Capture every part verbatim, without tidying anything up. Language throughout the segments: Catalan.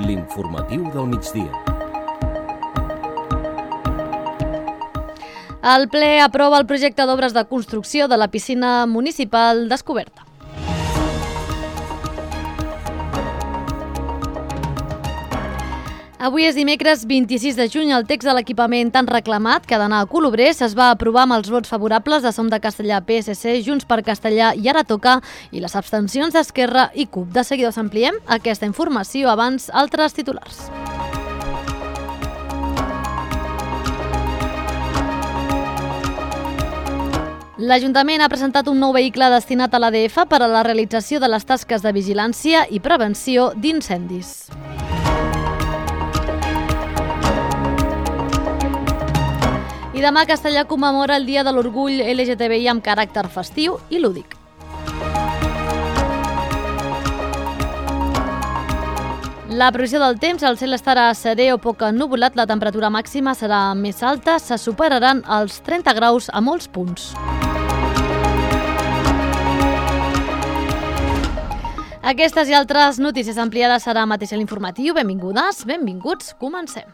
L'informatiu del migdia. El ple aprova el projecte d'obres de construcció de la piscina municipal descoberta. Avui és dimecres vint-i-sis de juny. El text de l'equipament tan reclamat que ha d'anar a Colobrers es va aprovar amb els vots favorables de Som de Castellà, P S C, Junts per Castellà i Ara Toca i les abstencions d'Esquerra i CUP. De seguida us ampliem aquesta informació, abans altres titulars. L'Ajuntament ha presentat un nou vehicle destinat a l'A D F per a la realització de les tasques de vigilància i prevenció d'incendis. I demà Castellà commemora el Dia de l'Orgull L G T B I amb caràcter festiu i lúdic. La previsió del temps: el cel estarà serè o poc ennuvolat, la temperatura màxima serà més alta, se superaran els trenta graus a molts punts. Aquestes i altres notícies ampliades serà mateix a l'informatiu. Benvingudes, benvinguts, comencem.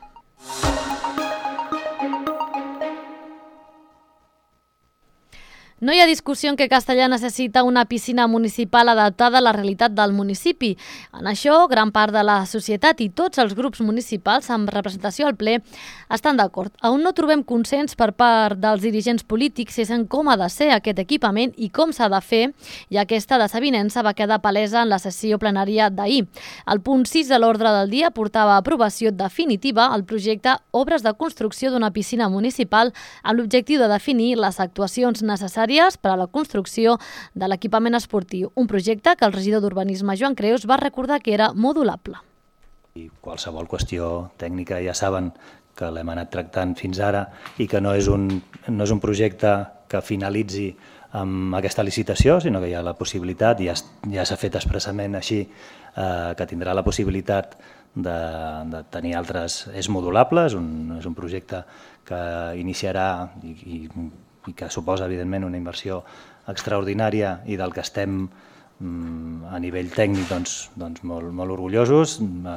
No hi ha discussió en que Castellà necessita una piscina municipal adaptada a la realitat del municipi. En això, gran part de la societat i tots els grups municipals amb representació al ple estan d'acord. On no trobem consens per part dels dirigents polítics és en com ha de ser aquest equipament i com s'ha de fer, i aquesta desavinença va quedar palesa en la sessió plenària d'ahir. El punt sis de l'ordre del dia portava a aprovació definitiva el projecte Obres de construcció d'una piscina municipal amb l'objectiu de definir les actuacions necessàries per a la construcció de l'equipament esportiu, un projecte que el regidor d'Urbanisme Joan Creus va recordar que era modulable. I qualsevol qüestió tècnica ja saben que l'hem anat tractant fins ara i que no és un, no és un projecte que finalitzi amb aquesta licitació, sinó que hi ha la possibilitat, ja, ja s'ha fet expressament així, eh, que tindrà la possibilitat de, de tenir altres... És modulable, és un, és un projecte que iniciarà i, i i que suposa, evidentment, una inversió extraordinària i del que estem a nivell tècnic doncs, doncs molt, molt orgullosos.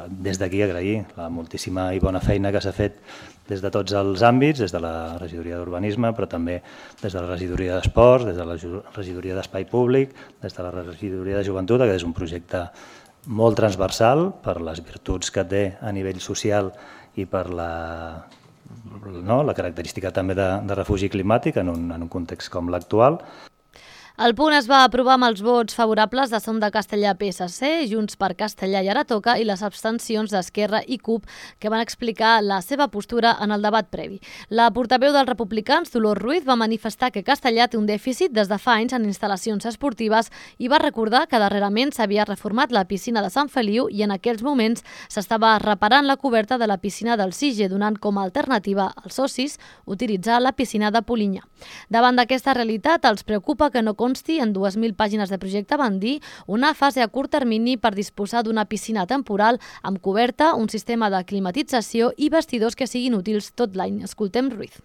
Des d'aquí agrair la moltíssima i bona feina que s'ha fet des de tots els àmbits, des de la regidoria d'Urbanisme, però també des de la regidoria d'Esports, des de la regidoria d'Espai Públic, des de la regidoria de Joventut, que és un projecte molt transversal per les virtuts que té a nivell social i per la... No, la característica també de, de refugi climàtic en un, en un context com l'actual. El punt es va aprovar amb els vots favorables de Som de Castellà, P S C, Junts per Castellà i Ara Toca i les abstencions d'Esquerra i CUP, que van explicar la seva postura en el debat previ. La portaveu dels republicans, Dolors Ruiz, va manifestar que Castellà té un dèficit des de fa anys en instal·lacions esportives i va recordar que darrerament s'havia reformat la piscina de Sant Feliu i en aquells moments s'estava reparant la coberta de la piscina del Sige, donant com a alternativa als socis utilitzar la piscina de Polinyà. Davant d'aquesta realitat, els preocupa que no consti en dues mil pàgines de projecte, van dir, una fase a curt termini per disposar d'una piscina temporal amb coberta, un sistema de climatització i vestidors que siguin útils tot l'any. Escoltem Ruiz.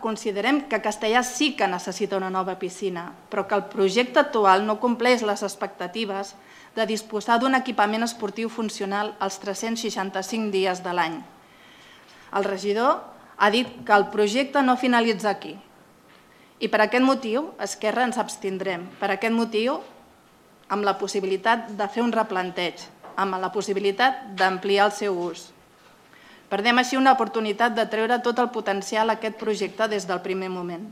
Considerem que Castellà sí que necessita una nova piscina, però que el projecte actual no compleix les expectatives de disposar d'un equipament esportiu funcional els tres-cents seixanta-cinc dies de l'any. El regidor ha dit que el projecte no finalitza aquí. I per aquest motiu, Esquerra, ens abstindrem. Per aquest motiu, amb la possibilitat de fer un replanteig, amb la possibilitat d'ampliar el seu ús. Perdem així una oportunitat de treure tot el potencial a aquest projecte des del primer moment.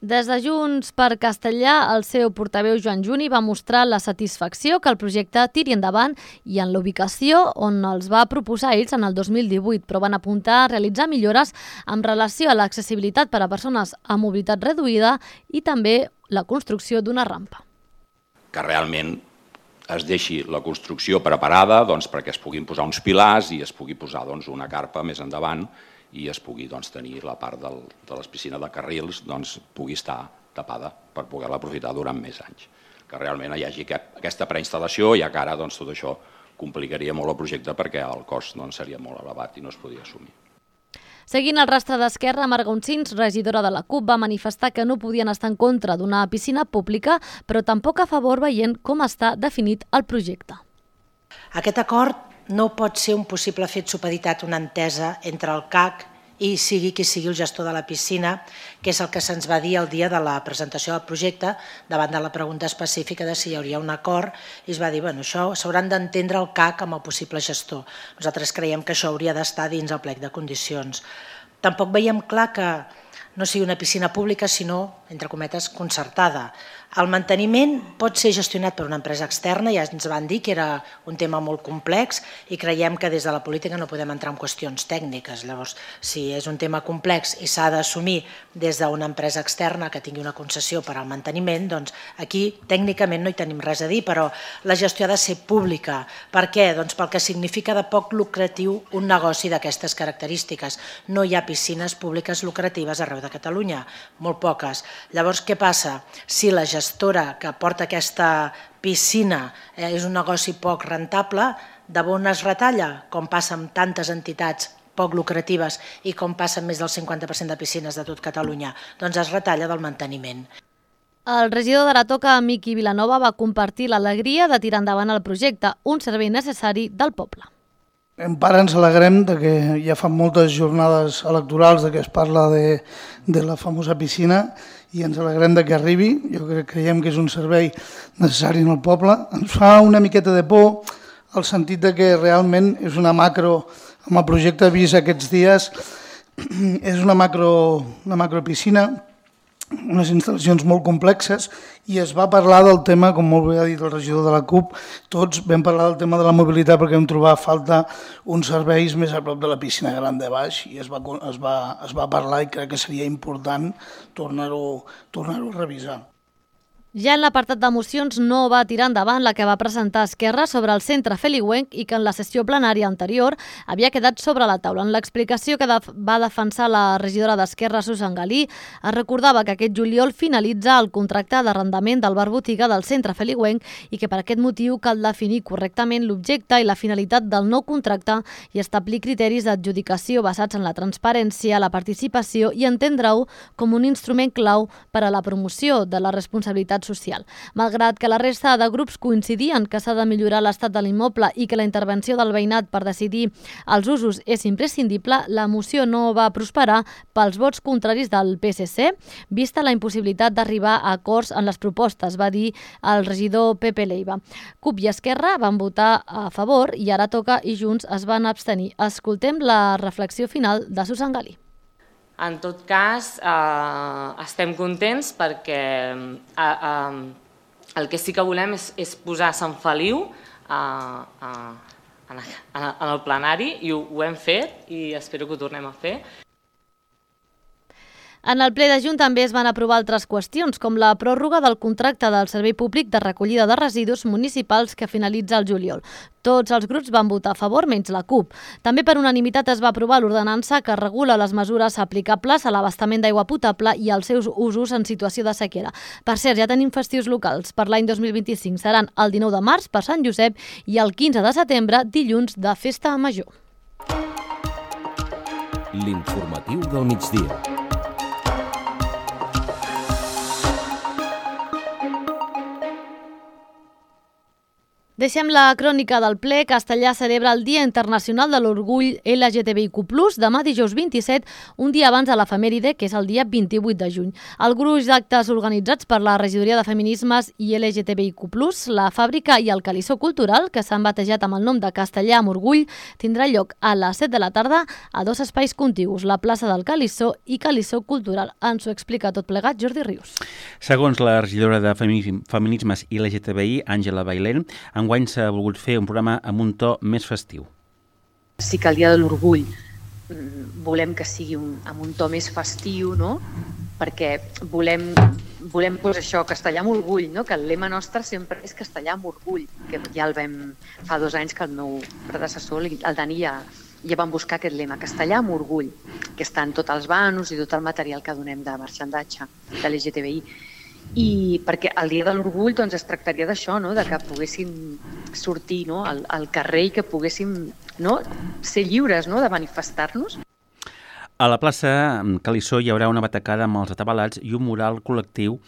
Des de Junts per Castellà, el seu portaveu Joan Juni va mostrar la satisfacció que el projecte tiri endavant i en la ubicació on els va proposar ells en el dos mil divuit, però van apuntar a realitzar millores amb relació a l'accessibilitat per a persones amb mobilitat reduïda i també la construcció d'una rampa. Que realment es deixi la construcció preparada doncs, perquè es puguin posar uns pilars i es pugui posar doncs, una carpa més endavant i es pugui doncs, tenir la part del, de les piscines de carrils doncs, pugui estar tapada per poder-la aprofitar durant més anys. Que realment hi hagi aquesta preinstal·lació, ja que ara doncs, tot això complicaria molt el projecte perquè el cost doncs, seria molt elevat i no es podia assumir. Seguint el rastre d'Esquerra, Marga Uncins, regidora de la CUP, va manifestar que no podien estar en contra d'una piscina pública, però tampoc a favor veient com està definit el projecte. Aquest acord no pot ser un possible fet supeditat una entesa entre el C A C i sigui qui sigui el gestor de la piscina, que és el que se'ns va dir el dia de la presentació del projecte, davant de la pregunta específica de si hi hauria un acord, i es va dir, bueno, això s'hauran d'entendre el C A C amb el possible gestor. Nosaltres creiem que això hauria d'estar dins el plec de condicions. Tampoc veiem clar que no sigui una piscina pública, sinó, entre cometes, concertada. El manteniment pot ser gestionat per una empresa externa, ja ens van dir que era un tema molt complex i creiem que des de la política no podem entrar en qüestions tècniques. Llavors, si és un tema complex i s'ha d'assumir des d'una empresa externa que tingui una concessió per al manteniment, doncs aquí tècnicament no hi tenim res a dir, però la gestió ha de ser pública. Per què? Doncs pel que significa de poc lucratiu un negoci d'aquestes característiques. No hi ha piscines públiques lucratives arreu de Catalunya, molt poques. Llavors, què passa? Si la gestora que porta aquesta piscina és un negoci poc rentable, de on es retalla, com passa amb tantes entitats poc lucratives i com passa amb més del cinquanta per cent de piscines de tot Catalunya, doncs es retalla del manteniment. El regidor d'Aratoca, Miqui Vilanova, va compartir l'alegria de tirar endavant el projecte, un servei necessari del poble. En part ens alegrem de que ja fa moltes jornades electorals de que es parla de, de la famosa piscina i ens alegrem de que arribi. Jo crec, creiem que és un servei necessari en el poble. Ens fa una miqueta de por el sentit de que realment és una macro, amb el projecte vist aquests dies, és una macro, una macropiscina, unes instal·lacions molt complexes, i es va parlar del tema, com molt bé ha dit el regidor de la CUP, tots vam parlar del tema de la mobilitat perquè vam trobar falta uns serveis més a prop de la piscina gran de baix i es va, es va, es va parlar i crec que seria important tornar-ho tornar-ho a revisar. Ja en l'apartat de mocions no va tirar endavant la que va presentar Esquerra sobre el centre feliuenc i que en la sessió plenària anterior havia quedat sobre la taula. En l'explicació que va defensar la regidora d'Esquerra, Susan Galí, es recordava que aquest juliol finalitza el contracte d'arrendament del bar botiga del centre feliuenc i que per aquest motiu cal definir correctament l'objecte i la finalitat del nou contracte i establir criteris d'adjudicació basats en la transparència, la participació i entendre-ho com un instrument clau per a la promoció de la responsabilitat social. Malgrat que la resta de grups coincidien que s'ha de millorar l'estat de l'immoble i que la intervenció del veïnat per decidir els usos és imprescindible, la moció no va prosperar pels vots contraris del P S C, vista la impossibilitat d'arribar a acords en les propostes, va dir el regidor Pepe Leiva. CUP i Esquerra van votar a favor i Aratoca i Junts es van abstenir. Escoltem la reflexió final de Susan Galí. En tot cas, eh, estem contents perquè eh, eh, el que sí que volem és, és posar Sant Feliu eh, eh, en, en el plenari i ho, ho hem fet i espero que ho tornem a fer. En el ple de juny també es van aprovar altres qüestions, com la pròrroga del contracte del Servei Públic de Recollida de Residus Municipals que finalitza el juliol. Tots els grups van votar a favor, menys la CUP. També per unanimitat es va aprovar l'ordenança que regula les mesures aplicables a l'abastament d'aigua potable i als seus usos en situació de sequera. Per cert, ja tenim festius locals. Per l'any dos mil vint-i-cinc seran el dinou de març per Sant Josep i el quinze de setembre, dilluns de Festa Major. L'informatiu del migdia. Deixem la crònica del ple. Castellà celebra el Dia Internacional de l'Orgull L G T B I Q plus, demà dijous vint-i-set, un dia abans de l'efemèride, que és el dia vint-i-vuit de juny. El gruix d'actes organitzats per la Regidoria de Feminismes i L G T B I Q plus, la Fàbrica i el Calissó Cultural, que s'han batejat amb el nom de Castellà amb Orgull, tindrà lloc a les set de la tarda a dos espais contigus, la plaça del Calissó i Calissó Cultural. Ens ho explica tot plegat Jordi Rius. Segons la regidora de Feminismes i L G T B I, Àngela Bailén, enguany s'ha volgut fer un programa amb un to més festiu. Sí que el Dia de l'Orgull volem que sigui un, amb un to més festiu, no? Perquè volem, volem pues, això, castellà amb orgull, no? Que el lema nostre sempre és castellà amb orgull, que ja el vam, fa dos anys que el meu predecessor, el Dani, ja, ja vam buscar aquest lema, castellà amb orgull, que està en tots els banos i tot el material que donem de marxandatge de l'L G T B I. I perquè el Dia de l'Orgull doncs, es tractaria d'això, no? De que poguéssim sortir, no? al, al carrer i que poguéssim, no? ser lliures, no? De manifestar-nos. A la plaça Calissó hi haurà una batacada amb els atabalats i un mural col·lectiu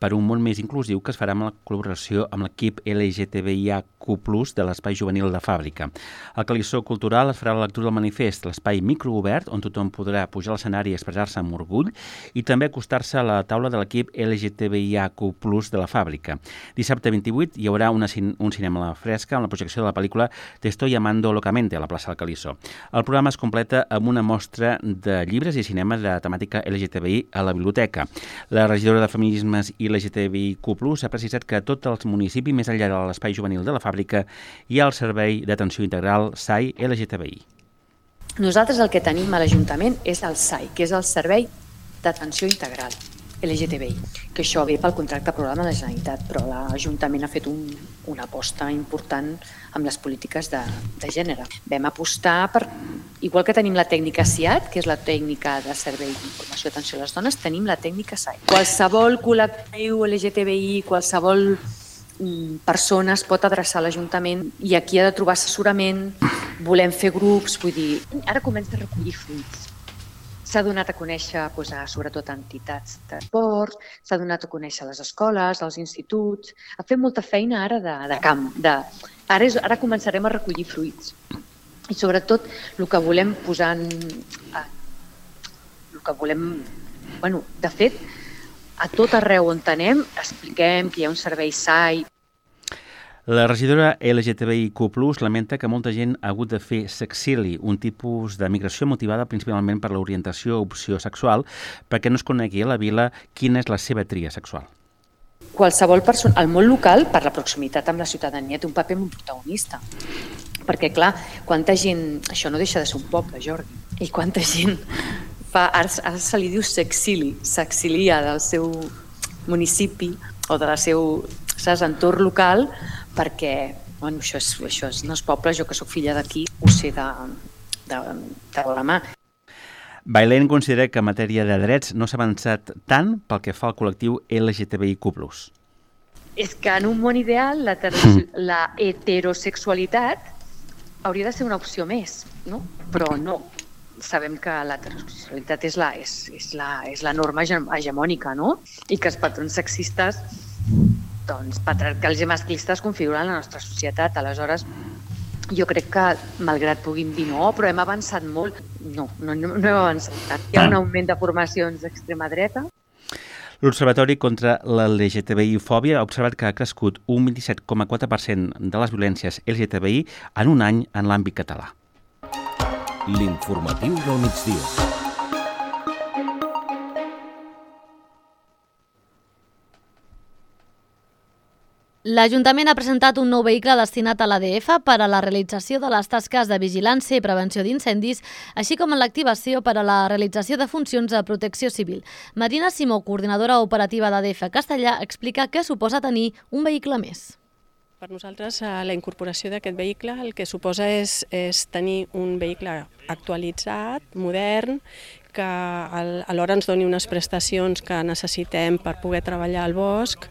per un món més inclusiu que es farà amb la col·laboració amb l'equip L G T B I A Q plus, de l'Espai Juvenil de Fàbrica. Al Calissó Cultural es farà la lectura del manifest, l'espai microobert, on tothom podrà pujar a l'escenari i expressar-se amb orgull, i també acostar-se a la taula de l'equip L G T B I A Q plus de la Fàbrica. Dissabte vint-i-vuit hi haurà una, un cinema a la fresca amb la projecció de la pel·lícula Te estoy amando locamente a la plaça del Calissó. El programa es completa amb una mostra de llibres i cinema de temàtica L G T B I a la biblioteca. La regidora de Feminismes i L G T B I Q plus ha precisat que a tots els municipis, més enllà de l'espai juvenil de la Fàbrica, hi ha el Servei d'Atenció Integral S A I L G T B I. Nosaltres el que tenim a l'Ajuntament és el S A I, que és el Servei d'Atenció Integral L G T B I, que això ve pel contracte programa de la Generalitat, però l'Ajuntament ha fet un, una aposta important amb les polítiques de, de gènere. Vam apostar per, igual que tenim la tècnica S I A T, que és la tècnica de servei d'informació i atenció a les dones, tenim la tècnica S A I. Qualsevol col·lectiu L G T B I, qualsevol persona es pot adreçar a l'Ajuntament i aquí ha de trobar assessorament, volem fer grups, vull dir, ara comença a recollir fruits. S'ha donat a conèixer, doncs, a, sobretot, a entitats d'esports, s'ha donat a conèixer a les escoles, als instituts, ha fet molta feina ara de, de camp. De, ara, és, ara començarem a recollir fruits. I sobretot el que volem posar en... El que volem... Bueno, de fet, a tot arreu on anem, expliquem que hi ha un servei S A I. La regidora L G T B I Q plus lamenta que molta gent ha hagut de fer sexili, un tipus de migració motivada principalment per l'orientació o opció sexual, perquè no es conegui a la vila quina és la seva tria sexual. Qualsevol persona, el món local, per la proximitat amb la ciutadania, té un paper molt protagonista. Perquè, clar, quanta gent... Això no deixa de ser un poble, Jordi. I quanta gent fa... Ara, ara se li diu sexili, s'exilia del seu municipi o del seu, saps, entorn local, perquè, bueno, això és, això és, no és poble, jo que sóc filla d'aquí ho sé de, de, de la mà. Bailén considera que en matèria de drets no s'ha avançat tant pel que fa al col·lectiu L G T B I Q plus. És que en un món ideal la, la heterosexualitat hauria de ser una opció més, no? Però no. Sabem que la heterosexualitat és la, és, és la, és la norma hegemònica, no? I que els patrons sexistes, doncs, patriarcals i masclistes configuren la nostra societat. Aleshores, jo crec que, malgrat puguin dir no, però hem avançat molt. No, no, no hem avançat. Hi ha un augment de formacions d'extrema dreta. L'Observatori contra l'L G T B I-fòbia ha observat que ha crescut un vint-i-set coma quatre per cent de les violències L G T B I en un any en l'àmbit català. L'informatiu del migdia. L'Ajuntament ha presentat un nou vehicle destinat a l'A D F per a la realització de les tasques de vigilància i prevenció d'incendis, així com en l'activació per a la realització de funcions de protecció civil. Marina Simó, coordinadora operativa d'A D F Castellà, explica què suposa tenir un vehicle més. Per nosaltres, la incorporació d'aquest vehicle el que suposa és, és tenir un vehicle actualitzat, modern, que alhora ens doni unes prestacions que necessitem per poder treballar al bosc,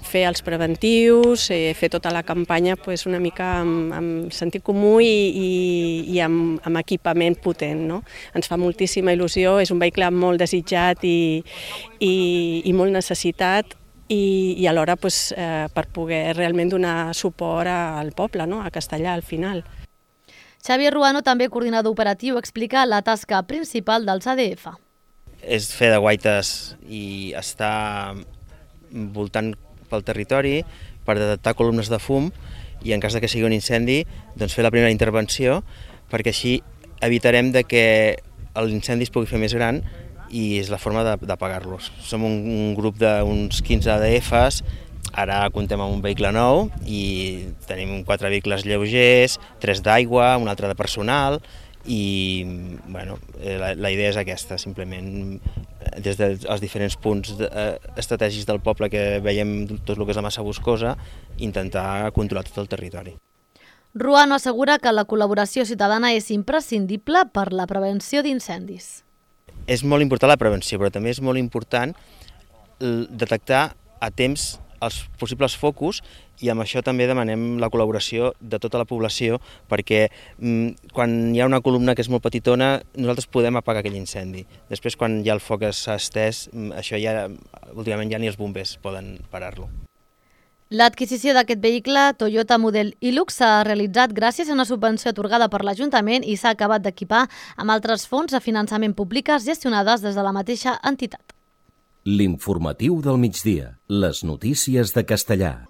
fer els preventius, fer tota la campanya pues, una mica amb, amb sentit comú i, i, i amb, amb equipament potent. No? Ens fa moltíssima il·lusió, és un vehicle molt desitjat i, i, i molt necessitat, i, i alhora pues, eh, per poder realment donar suport al poble, no? A Castellà al final. Xavier Ruano, també coordinador operatiu, explica la tasca principal dels A D F. És fer de guaites i estar voltant pel territori per detectar columnes de fum i en cas de que sigui un incendi doncs fer la primera intervenció perquè així evitarem de que l'incendi es pugui fer més gran i és la forma d'apagar-los. Som un, un grup d'uns quinze A D Fs. Ara comptem amb un vehicle nou i tenim quatre vehicles lleugers, tres d'aigua, un altre de personal i bueno, la, la idea és aquesta, simplement des dels diferents punts estratègics del poble que veiem tot el que és la massa boscosa, intentar controlar tot el territori. Ruano assegura que la col·laboració ciutadana és imprescindible per la prevenció d'incendis. És molt important la prevenció, però també és molt important detectar a temps els possibles focus i amb això també demanem la col·laboració de tota la població perquè mm, quan hi ha una columna que és molt petitona nosaltres podem apagar aquell incendi. Després quan ja el foc s'ha estès, això ja últimament ja ni els bombers poden parar-lo. L'adquisició d'aquest vehicle Toyota Model Hilux s'ha realitzat gràcies a una subvenció atorgada per l'Ajuntament i s'ha acabat d'equipar amb altres fons de finançament públiques gestionades des de la mateixa entitat. L'informatiu del migdia. Les notícies de Castellar.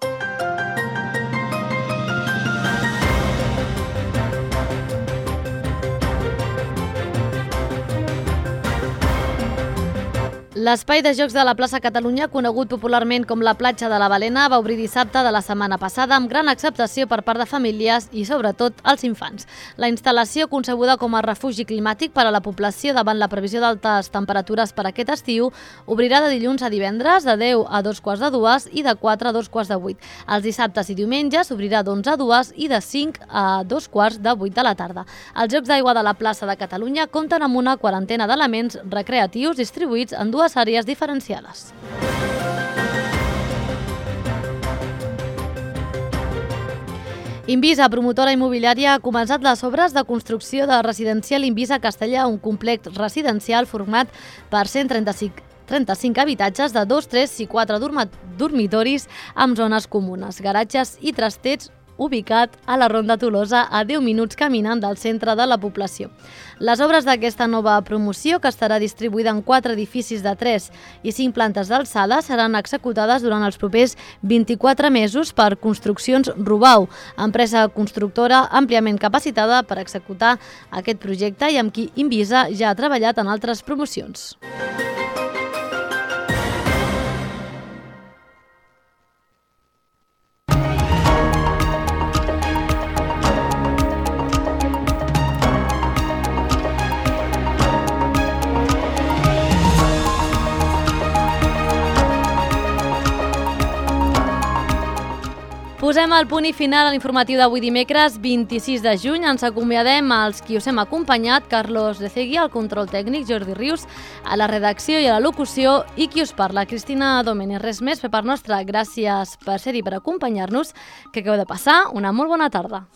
L'espai de jocs de la plaça Catalunya, conegut popularment com la platja de la Balena, va obrir dissabte de la setmana passada amb gran acceptació per part de famílies i, sobretot, els infants. La instal·lació, concebuda com a refugi climàtic per a la població davant la previsió d'altes temperatures per aquest estiu, obrirà de dilluns a divendres de deu a dos quarts de dues i de quatre a dos quarts de vuit. Els dissabtes i diumenges s'obrirà d'onze a dues i de cinc a dos quarts de vuit de la tarda. Els Jocs d'Aigua de la plaça de Catalunya compten amb una quarantena d'elements recreatius distribuïts en dues àrees diferenciades. Invisa, promotora immobiliària, ha començat les obres de construcció de residencial Invisa Castellar, un complex residencial format per cent trenta-cinc trenta-cinc habitatges de dos, tres i quatre dormitoris amb zones comunes, garatges i trastets, ubicat a la Ronda Tolosa, a deu minuts caminant del centre de la població. Les obres d'aquesta nova promoció, que estarà distribuïda en quatre edificis de tres i cinc plantes d'alçada, seran executades durant els propers vint-i-quatre mesos per Construccions Rubau, empresa constructora àmpliament capacitada per executar aquest projecte i amb qui Invisa ja ha treballat en altres promocions. Posem el punt i final a l'informatiu d'avui dimecres vint-i-sis de juny. Ens acomiadem als qui us hem acompanyat, Carlos de Cegui, al control tècnic, Jordi Rius, a la redacció i a la locució, i qui us parla, Cristina Domènech. Res més per part nostra. Gràcies per ser-hi, per acompanyar-nos. Que acabeu de passar una molt bona tarda.